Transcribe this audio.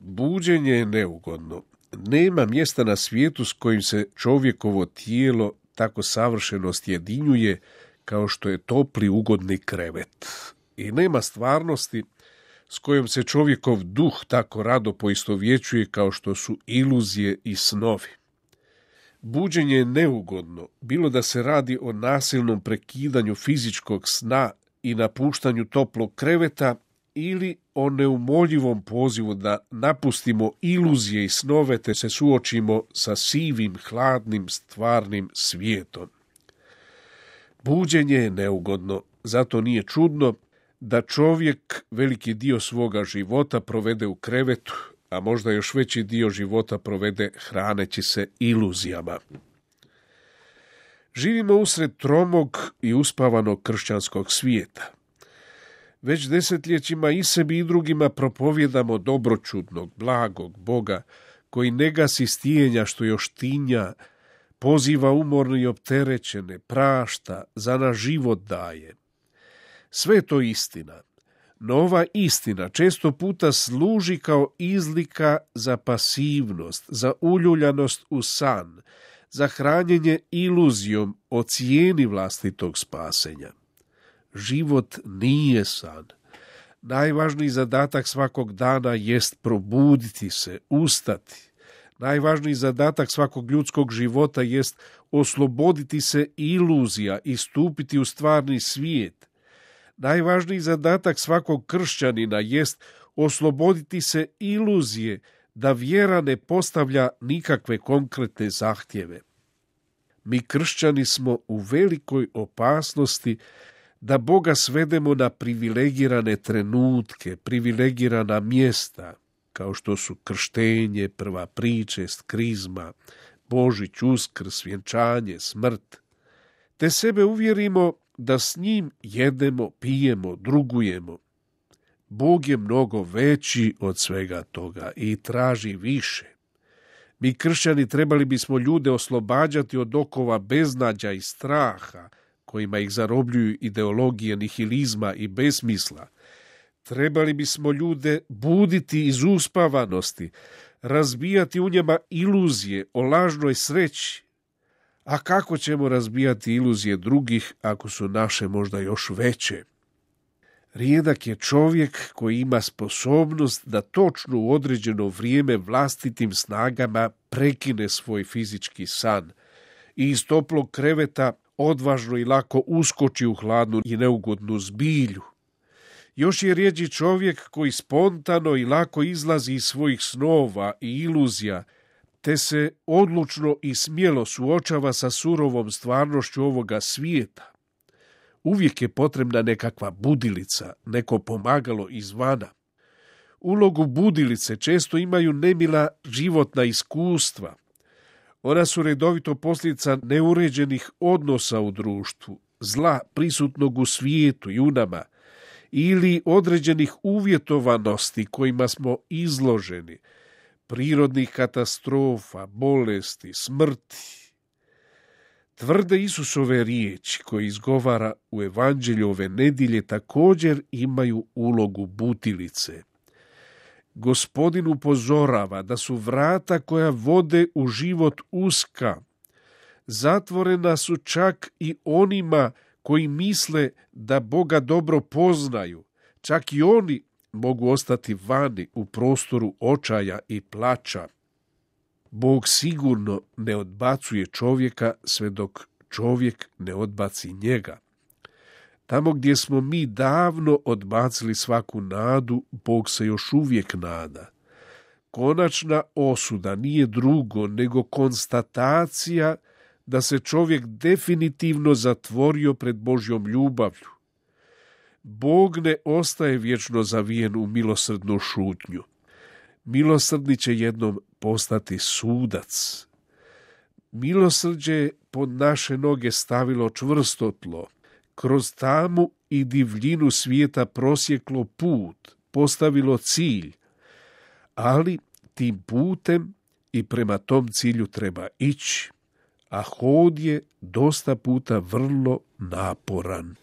Buđenje je neugodno. Nema mjesta na svijetu s kojim se čovjekovo tijelo tako savršeno sjedinjuje kao što je topli ugodni krevet. I nema stvarnosti s kojom se čovjekov duh tako rado poistovjećuje kao što su iluzije i snovi. Buđenje je neugodno, bilo da se radi o nasilnom prekidanju fizičkog sna i napuštanju toplog kreveta ili o neumoljivom pozivu da napustimo iluzije i snove te se suočimo sa sivim, hladnim, stvarnim svijetom. Buđenje je neugodno, zato nije čudno da čovjek veliki dio svoga života provede u krevetu, a možda još veći dio života provede hraneći se iluzijama. Živimo usred tromog i uspavanog kršćanskog svijeta. Već desetljećima i sebi i drugima propovjedamo dobročudnog, blagog Boga, koji ne gasi stijenja što još tinja, poziva umorne i opterećene, prašta, za naš život daje. Sve je to istina, no ova istina često puta služi kao izlika za pasivnost, za uljuljanost u san, za hranjenje iluzijom o cijeni vlastitog spasenja. Život nije san. Najvažniji zadatak svakog dana jest probuditi se, ustati. Najvažniji zadatak svakog ljudskog života jest osloboditi se iluzija i stupiti u stvarni svijet. Najvažniji zadatak svakog kršćanina jest osloboditi se iluzije da vjera ne postavlja nikakve konkretne zahtjeve. Mi kršćani smo u velikoj opasnosti da Boga svedemo na privilegirane trenutke, privilegirana mjesta, kao što su krštenje, prva pričest, krizma, Božić, Uskrs, vjenčanje, smrt, te sebe uvjerimo da s njim jedemo, pijemo, drugujemo. Bog je mnogo veći od svega toga i traži više. Mi kršćani trebali bismo ljude oslobađati od okova beznađa i straha, kojima ih zarobljuju ideologije nihilizma i besmisla. Trebali bismo ljude buditi iz uspavanosti, razbijati u njima iluzije o lažnoj sreći. A kako ćemo razbijati iluzije drugih ako su naše možda još veće? Rijedak je čovjek koji ima sposobnost da točno u određeno vrijeme vlastitim snagama prekine svoj fizički san i iz toplog kreveta odvažno i lako uskoči u hladnu i neugodnu zbilju. Još je rjeđi čovjek koji spontano i lako izlazi iz svojih snova i iluzija, te se odlučno i smjelo suočava sa surovom stvarnošću ovoga svijeta. Uvijek je potrebna nekakva budilica, neko pomagalo izvana. Ulogu budilice često imaju nemila životna iskustva. Ona su redovito posljedica neuređenih odnosa u društvu, zla prisutnog u svijetu i u nama, ili određenih uvjetovanosti kojima smo izloženi, prirodnih katastrofa, bolesti, smrti. Tvrde Isusove riječi koje izgovara u evanđelju ove nedjelje također imaju ulogu budilice. Gospodin upozorava da su vrata koja vode u život uska. Zatvorena su čak i onima koji misle da Boga dobro poznaju. Čak i oni mogu ostati vani u prostoru očaja i plača. Bog sigurno ne odbacuje čovjeka sve dok čovjek ne odbaci njega. Tamo gdje smo mi davno odbacili svaku nadu, Bog se još uvijek nada. Konačna osuda nije drugo nego konstatacija da se čovjek definitivno zatvorio pred Božjom ljubavlju. Bog ne ostaje vječno zavijen u milosrdnu šutnju. Milosrdni će jednom postati sudac. Milosrđe je pod naše noge stavilo čvrsto tlo, kroz tamu i divljinu svijeta prosjeklo put, postavilo cilj, ali tim putem i prema tom cilju treba ići, a hod je dosta puta vrlo naporan.